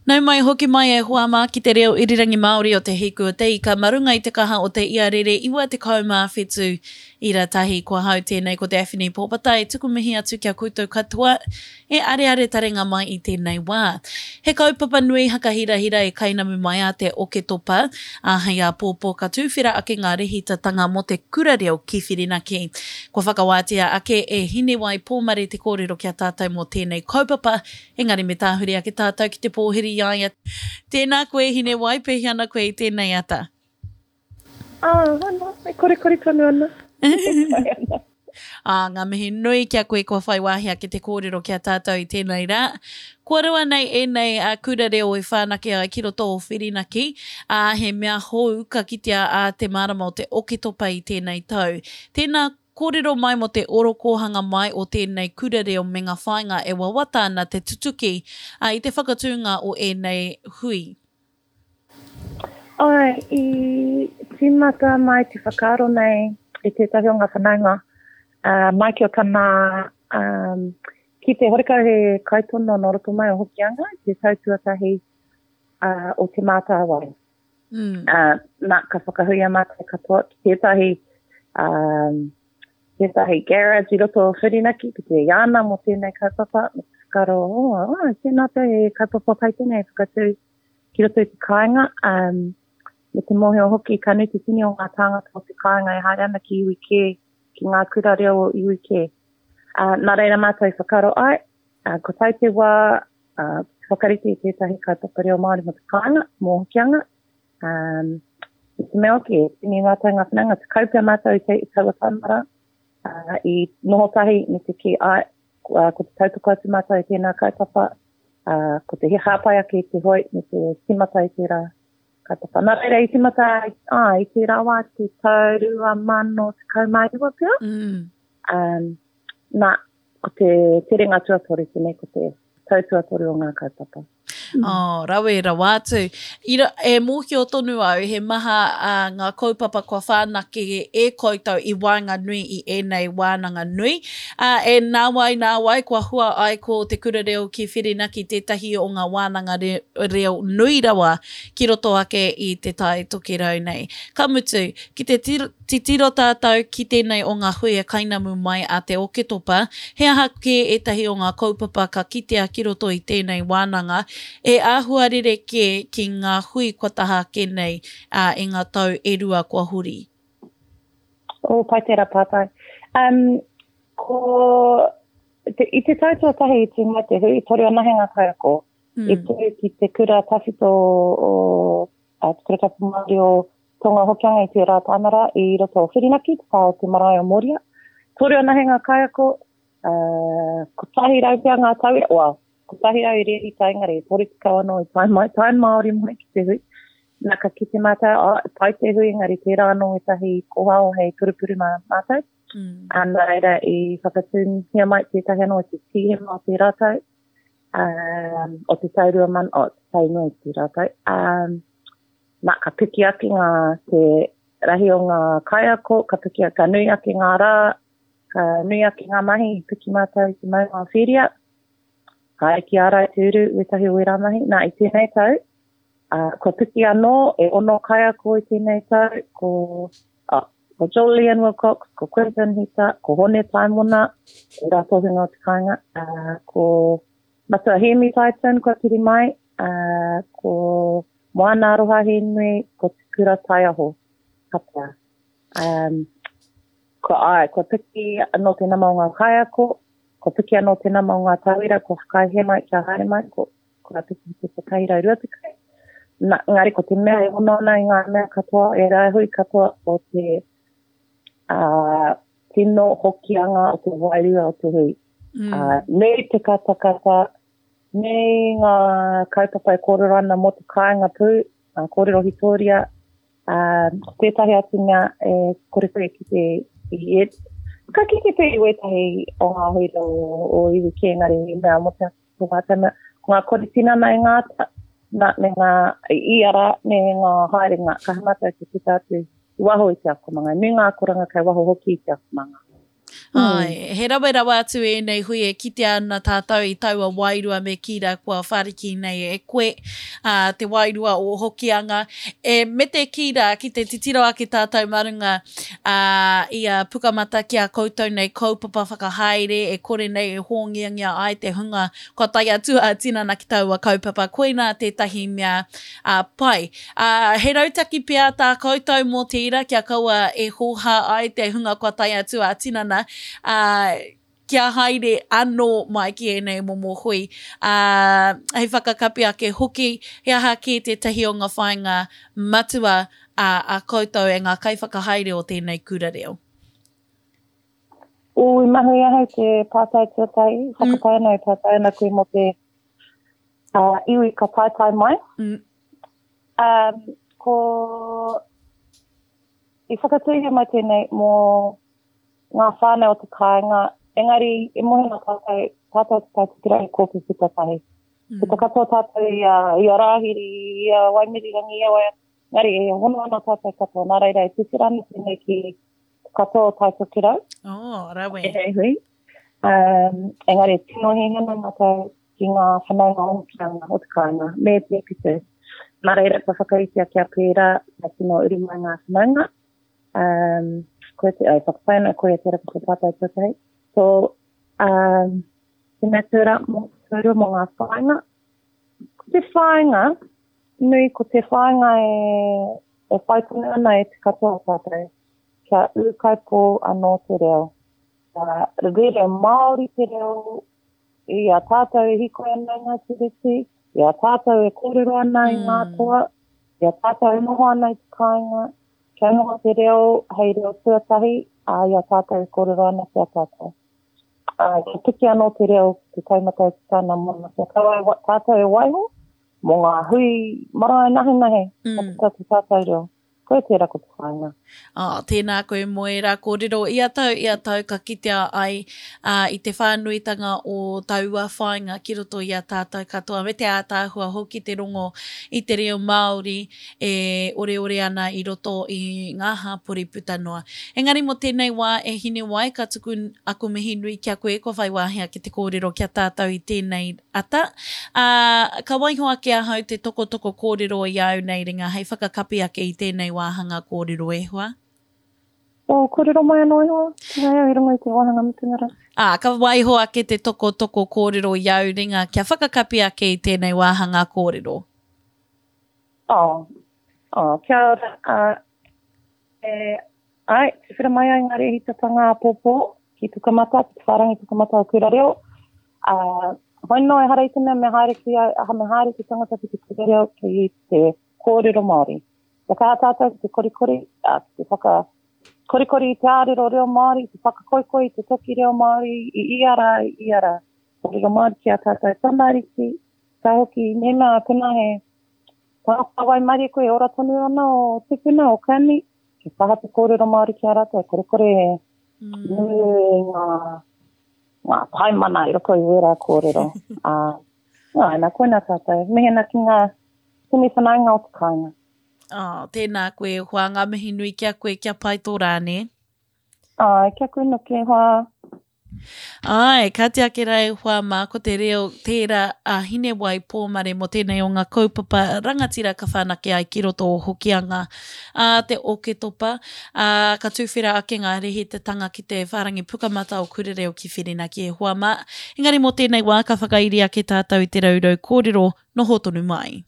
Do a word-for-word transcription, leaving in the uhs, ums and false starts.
Nau mai hoki mai e hoa mā ki te reo irirangi Māori o Te Hiku o Te Ika mā runga i te kaha o te iarere iwa tekau mā whetū ira tahi. Ko ahau tēnei ko Daphne Pōpata e tuku mihi atu ki a koutou katoa e areare taringa mai i tēnei wā. He kaupapa nui hakahirahira e kainamu mai a te Oketopa, ā, hei āpōpō ka tūwhera ake ngā rehitatanga mō te kura reo ki Whirinaki. Kua whakawātea ake e Hinewai Pōmare te kōrero ki a tātou mō tēnei kaupapa, engari me tāhuri ake tātou ki te pōhiri i a ia. Tēnā koe Hinewai, pēhea ana koe i tēnei ata? Ah, ana, e korekore tonu ana. E pai ana. Ā, ngā mihi nui ki a koe kua whai wāhi ake te kōrero ki a tātou i tēnei rā. Kua roa nei ēnei kura reo i whanake ai ki roto o Whirinaki, ā, he mea hou ka kitea ā te marama o te Oketopa i tēnei tau. Tēnā, kōrero mai mō te orokōhanga mai o tēnei kura reo me ngā whāinga e wawata ana te tutuki ā, i te whakatūnga o ēnei hui. Āe, i tīmata mai te whakaaro nei i tētahi o ngā whanaunga, ā, mai ki o tana, ā, ki te horekau he kaitono nō roto mai o Hokianga i te tau tuatahi, ā, o Te Mātāwai. Mm. Ā, nā, ka whakahuia mātou katoa ki tētahi, ā, tētahi garage i roto o Whirinaki ki te iāna mō tēnei kaupapa, me te whakaaro, oh, oh, tēnā pea he kaupapa pai tēnei e whakatū ki roto i te kāinga, um, me te mōhio hoki ka nui te tini o ngā tāngata o te kāinga e haere ana ki iwi kē, ki ngā kura reo o iwi kē. Uh, nā reira mātou i whakaaro ai, uh, ko tau te wā, uh, te whakarite i tētahi kaupapa reo Māori mō te kāinga, mō Hokianga, um, i te mea hoki, e tini mātou ngā whanaunga, tekau pea mātou i te, i taua taumara, uh, i noho tahi me te kī, ai, uh, ko te tautoko atu mātou i tēnā kaupapa, uh, ko te hāpai ake i te hoi me te tīmata i tērā kaupapa. Nā reira i tīmata ai, i tērā wā te tau rua mano tekau mā iwa pea. Mm. Um, nā, ko te terenga tuatoru tēnei, ko te tau tuatoru o ngā kaupapa. Mm. Oh, rawe rawa atu. Ira, e mōhio tonu au, he maha uh, ngā kaupapa kua whanake e koutou i waenganui i ēnei wānanga nui. Uh, e nāwai nāwai, kua hua ai ko Te Kura Reo ki Whirinaki tētahi o ngā wānanga re, reo nui rawa ki roto ake i te Tai Tokerau nei. Ka mutu, ki te titiro tātou ki tēnei o ngā hui e kainamu mai a te Oketopa, he aha kē ētahi o ngā kaupapa ka kitea ki roto i tēnei wānanga e āhua rerekē ki ngā hui kua taha ake nei uh, i ngā tau e rua kua huri? Oh, pai tērā pātai. Um, ko te, i te tau tuatahi i tū mai te hui, toru anahe ngā kaiako, mm. i tū ki te kura tawhito o, o te kura tapu Māori o Tonga Hokianga i tērā tāmara i roto o Whirinaki, te pā o te marae o Moria. Toru anahe ngā kaiako, uh, kotahi rau pea ngā tauira, well, kotahi rau i rēhita engari, toru tekau anō i tae mai, tae Māori mai ki te hui. Nā, ka kite mātou, oh, pai te hui, engari tērā anō ētahi kōhao hei purupuru mā mātou. Mm. Ā, nā reira i whakatūngia mai tētahi anō i te Tīhema o tērā tau, um, o te tau rua mano, o te tau nui tērā tau. Um, nā, ka piki ake ngā, te rahi o ngā kaiako, ka piki, ka nui ake ngā rā, ka nui ake ngā mahi, i piki mātou i te maunga o Whiria, haere ki Ārai Te Uru, wētahi o ērā mahi. Nā, i tēnei tau, uh, kua piki anō, e ono kaiako i tēnei tau, ko, oh, ko Julian Wilcox, ko Quentin Hita, ko Hone Taimona, e rā tohunga o te kāinga, uh, ko Matua Hēmi Titan kua piri mai, uh, ko Moana Aroha Hēnui, ko Te Kura Taiaho, kapea. Um, kua, ai, kua piki anō te nama o ngā kaiako, kua piki anō te nama o ngā tauira, kua whakaae mai kia haere mai, ko, kua piki te kotahi rau rua tekau. Nā, engari ko te mea e hono ana i ngā mea katoa, e rā hui katoa o te uh, tino hokianga o te wairua o te hui. Mm. Uh, nui te katakata, nui ngā kaupapa e kōrero ana mō te kāinga pū, uh, kōrero hitoria, uh, ko tētahi atu mea e kore koe ki te i e, ka kite pea i wētahi o ngā hui o, o iwi kē, engari i mea mō te ko ngā tama, ko ngā kore tinana i ngā ata, nā, me ngā iara, me ngā haerenga, ka mātou te puta atu i waho i te akomanga. Nui ngā akoranga kei waho hoki i te akomanga. Ai, he rawe rawa atu ēnei hui e kitea ana tātou i taua wairua me kī rā kua whāriki nei e koe, ā, te wairua o Hokianga. E, me te kī rā, ki te titiro ake tātou mā runga, ā, i a Pukamata ki a koutou nei kaupapa whakahaere e kore nei e hōngiangia ai te hunga kua tae atu ā-tinana ki taua kaupapa, koinā tētahi mea, ā, pai. Ā, he rautaki pea tā koutou mō tērā kia kaua e hōhā ai te hunga kua tae atu ā-tinana, ā, kia haere anō mai ki ēnei momo hui. Ā, hei whakakapi ake hoki, he aha kē tētahi o ngā whāinga matua a, a koutou e ngā kaiwhakahaere o tēnei kura reo? Ū, i mahi ahau te pātai tuatahi, whakapae ana e pātai ana koe mō te uh, iwi ka taetae mai. Mm. Um, ko i whakatūhia mai tēnei mō ngā whānau o te kāinga, engari e mohi ana tātou, tātou te Tai Tokerau i kōpū tahi. Mm. Ko te katoa tātou i a, i a Rāhiri, i a Waimirirangi, i a Wai, engari e hono ana tātou katoa, nā reira e tuwhera ana tēnei ki katoa o Tai Tokerau. Oh, rawe. E hui. Um, engari e tino hiahia ana mātou ki ngā whanaunga o Hokianga o te kāinga, me te Pitu. Nā reira, kua whakaritea kia pērā, kia tino uru mai ngā whanaunga. Um, koe te, ai, whakapae ana koe tērā ko te pātai tuatahi. So, um, te mea tērā mō, tērā mō ngā whāinga. Ko te whāinga, nui ko te whāinga e, e whai tonu ana e te katoa o tātou, kia ūkaipō anō te reo. Kia rere Māori te reo i a tātou e hīkoi ana i ngā tiriti, i a tātou e kōrero ana i ngā toa, i a tātou e noho ana i te kāinga, kia noho te reo hei reo tuatahi, ā, i a tātou e kōrero ana ki a tātou. Ā, kia piki anō te reo ki te taumata e tika ana mōna, kia kaua e tātou e waiho mō ngā hui marae nahenahe, mm. ka puta te tātou reo. Koia tērā ko te whāinga. Oh, tēnā koe mō ērā kōrero. Ia tau, ia tau ka kitea ai uh, i te whānuitanga o taua whāinga ki roto i a tātou katoa, me te ātaahua hoki te rongo i te reo Māori e oreore ana i roto i ngā hāpori puta noa. Engari mō tēnei wā e Hinewai, ka tuku aku mihi nui ki a koe kua whai wāhi ake te kōrero ki a tātou i tēnei ata. Ā, ka waiho ake ahau te tokotoko kōrero i āu nei ringa hei whakakapi ake i tēnei wāhanga kōrero e hoa. Oh, kōrero mai anō e hoa, tēnā au i runga i te wāhanga mutunga rā. Ā, ka waiho ake te tokotoko kōrero i āu ringa kia whakakapi ake i tēnei wāhanga kōrero. Oh, oh, kia ora, uh, e, ai, tuwhera mai ai ngā rēhitatanga āpōpō ki Pukamata, ki te whārangi Pukamata o Kura Reo. Uh, hoi noa, ehara i te mea me haere ki, aha, me haere te tangata ki te kura reo ki te kōrero Māori. Kia kaha tātou ki te korikori, uh, ki te whaka korikori i te ārero reo Māori, te whakakoikoi i te toki reo Māori i ia rā, i ia rā. Kōrero Māori ki a tātou tamariki, ka hoki, mēnā pēnā he tangata waimarie koe e ora tonu ana o tipuna, o kani, kia kaha te kōrero Māori ki a rātou, korekore e nui ngā, ngā taimana i roto i wērā kōrero. Ā, nā, nā, koinā tātou. Mihi ana ki ngā tini whanaunga o te kāinga. Oh, tēnā koe e hoa, ngā mihi nui ki a koe, kia pai tō rā, nē? Āe, kia koe noki e hoa. Āe, kāti ake rā e hoa mā, ko te reo tērā a Hinewai Pōmare mō tēnei o ngā kaupapa rangatira ka whanake ai ki roto o Hokianga ā te Oketopa, ā, ka tuwhera ake ngā rehitatanga ki te whārangi pukamata o Kura Reo ki Whirinaki e hoa mā. Engari mō tēnei wā ka whakairi ake tātou i te raurau kōrero noho tonu mai.